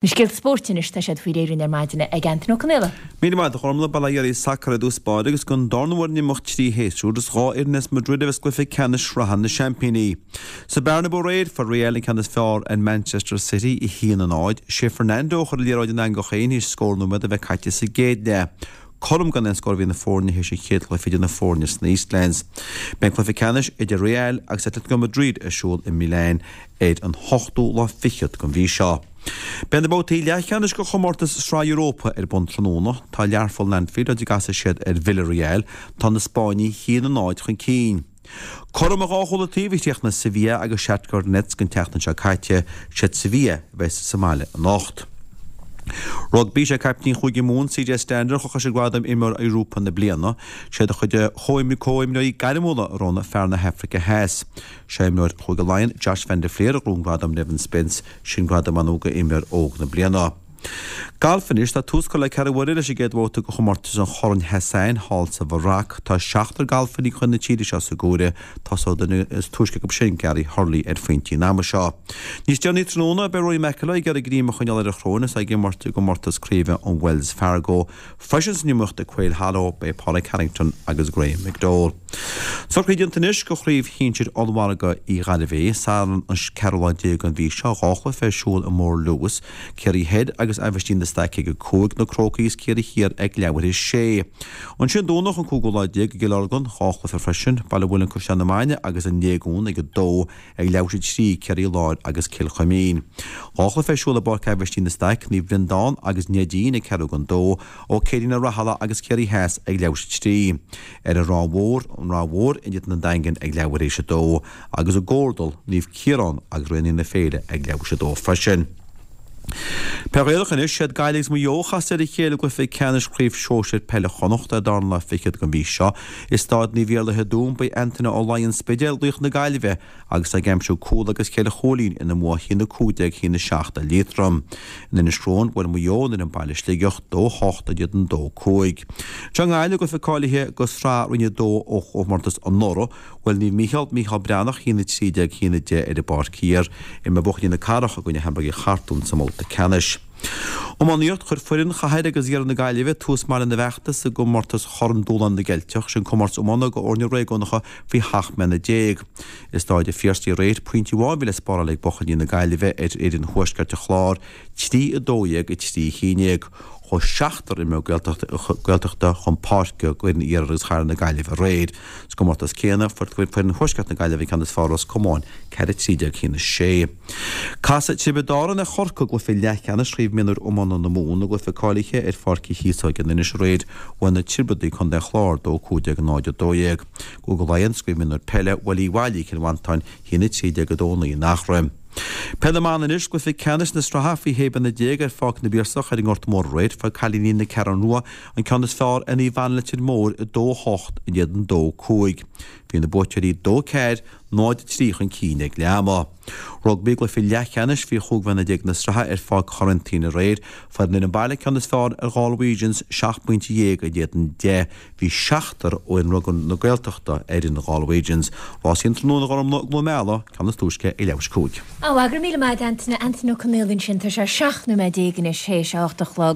Na scéalta spóirt anois, tá siad faoi réir ar maidin ag Antaine Ó Conaola. Míle maith agat a Ghormlaith, Bail ó Dhia oraibh sacar i dtús báire agus don darna huair in imeacht 3 shéasúr is 2 fhoireann as Madrid a bheas i gcluiche ceannais sraithe na seaimpíní. Sa Bernabeu aréir, fuair Real an ceann is fearr ar Manchester City, 1-0. Sé Fernando a chuir an liathróid in eangach féin théis scór nóiméad a bheith caite sa gcéad leath. Cothrom gan aon scór a bhí na foirne théis an chéad chluiche idir na foirne sna Eastlands. Beidh an cluiche ceannais idir Real agus Atletico Madrid ar siúl i Milan ar an ochtú lá fichead den mhí seo. Beidh na babhtaí leathcheannais de chomórtas Sraith Europa ar bun tráthnóna. Tá Learpholl in Anfield áit a gcasfaidh siad ar Villarreal. Tá na Spáinnigh 1-0 chun cinn. Cothrom ar dhá chúl an taobh a chríochnaigh Sevilla agus Shakhtar Donetsk an tseachtain seo caite. Siad Sevilla a bheas sa mbaile anocht. Rugbaí, Sé caiptín Chúige Mumhan, CJ Stander, a chuir sé gradam Imreoir Europa na Bliana. Siad a chuid comhimreoirí gairmiúla a roghnaigh fear na hAfraice Theas. Sé imreoir Chúige Laighean, Josh van der Flier a ghnóthaigh an gradam Nevin Spence, sin gradam ar ndóigh do imreoir óg na bliana. Galf anois, tá tús curtha le Carraig Mhuire leis an gcéad bhabhta de chomórtas an Chorn Hassan thall sa Mharoc. Tá seachtar galfairí chun na tíre seo sa gcomhaireamh. Tosóidh an duine is túisce acu sin, Gary Hurley, ar phointí an ama seo. Níos deireanaí tráthnóna, beidh Rory McIlroy ag iarraidh greim a choinneáil ar a shrón is é ag imirt i gcomórtas craoibhe an Wells Fargo. Freisin san iomaíocht ag Quail Hollow, beidh Pádraig Harrington agus Graeme McDowell. Socruithe déanta anois do Chraobh Shinsir Ollmhargadh Uí Ghairbhé, Satharn an ceathrú lá déag den mhí seo, 2 chluiche ar siúl i Mórluas, Ciarraí Thoir agus Aibhistín de Staic ag 5, Na Crócaigh is Ciarraí Thiar ag leathuair théis 6. Ansin Domhnach an cúigiú lá déag i gCill Orglan, 2 chluiche freisin, Baile Mhuilinn Caisleán na Maine agus An Léigiún ag 2, Ag leathuair théis 3, Ciarraí Láir agus Cill Chuimín. 2 chluiche ar siúl i bPáirc Aibhistín de Staic, Naomh Breandán agus Neidín ag ceathrú don dó, Ó Céirín Ó Rathaille agus Ciarraí Theas ag leathuair théis 3. Ar an Ráth Mhór, an Ráth Mhór in éadan an Daingin ag leathuair théis 2 agus i gComhardal, Naomh Ciarán agus Raonaithe na Féile ag leathuair théis 2 freisin. Peil Ghaelach anois, siad Gaillimh agus Maigh Eo a chasfaidh ar a chéile i gcluiche ceannais Chraobh Shóisir Peile Chonnacht ar dara lá fichead den mhí seo. I Stáid Naomh Iarlaith i dTuaim beidh Antaine Ó Laighin Spidéal, laoch na Gaillimhe, agus é ag aimsiú cúl agus cheithre chúilín ina mbua 1-15 1-7 ar Liatroim. In Inis Crobhán bhuail Maigh Eo an fhoireann baile Sligeach 2-8 in éadan 2-5. Anseo i nGaillimh i gcluiche cáilithe do Shraith Roinn 2 ó chomórtas anuraidh, Bhuail Naomh Mícheál, Mícheál Breathnach, 1-13, 1-10 ar an bPáirc Thiar. Imreoidh buachaillí na Cathrach i gcoinne Hamburgaigh Chartún sa mbabhta ceannais. Iománaíocht, Chuir foireann Chathair agus Iarthar na Gaillimhe tús maith lena bhfeachtas i gcomórtas Chorn Dúshláin na gCeilteach, sin comórtas iomána do fhoirne réigiúnacha faoi 17 mbliana. I Stáid an Phiarsaigh aréir, pointe amháin a bhí le spáráil ag buachaillí na Gaillimhe ar fhoireann Thuaisceart an Chláir, 3, 12, 3, 11. Chuaigh seachtar imreoir Gaeltachta chun páirce d'fhoireann Iarthar agus Chathair na Gaillimhe aréir. Sa gcomórtas céanna, fuair foireann Thuaisceart na Gaillimhe an ceann is fearr ar Ros Comáin, 4, 13, 1, 6. Casfaidh Tiobraid Árann ar Chorcaigh i gcluiche leathcheannais Chraobh Mionúir Iomána na Mumhan i gcluiche cáilithe ar Pháirc Uí Chíosóg in Inis aréir. Bhuaigh na Tiobradaigh Contae an Chláir 2, 15, 0, 12. Cúige Laighean, sa gCraobh Mionúir Peile, bhuail Uíbh Fhailí Cill Mhantáin 1, 13, 2, 9 in Eachroim. Peil na mBan anois, Cluiche ceannais na sraithe faoi 16 bliana ar Pháirc na bPiarsach ar an nGort Mór aréir, fuair cailíní na Ceathrún Rua an ceann is fearr ar Naomh Anna Leitir Móir 2, 8 in éadan 2, 5. Bhí na buaiteoirí 2, 4, 0, 3 chun cinn ag leath ama. Rugbaí, Cluiche leathcheannais faoi 15 bhliana na sraithe ar Pháirc Chorentyne aréir, fuair an fhoireann baile ceann is fearr ar Ghalwegians, 17 pointe in éadan 10. Bhí seachtar ó fhoireann rugbaí na Gaeltachta ar fhoireann Ghalwegians. Rásaí an tráthnóna a Ghormlaith i gCluain Meala, ceann is túisce ag leathuair théis 5. Ó, go raibh míle maith agat Antaine, Antaine Ó Conaola ansin, tá sé 17 nóiméad anois théis a 8 a chlog.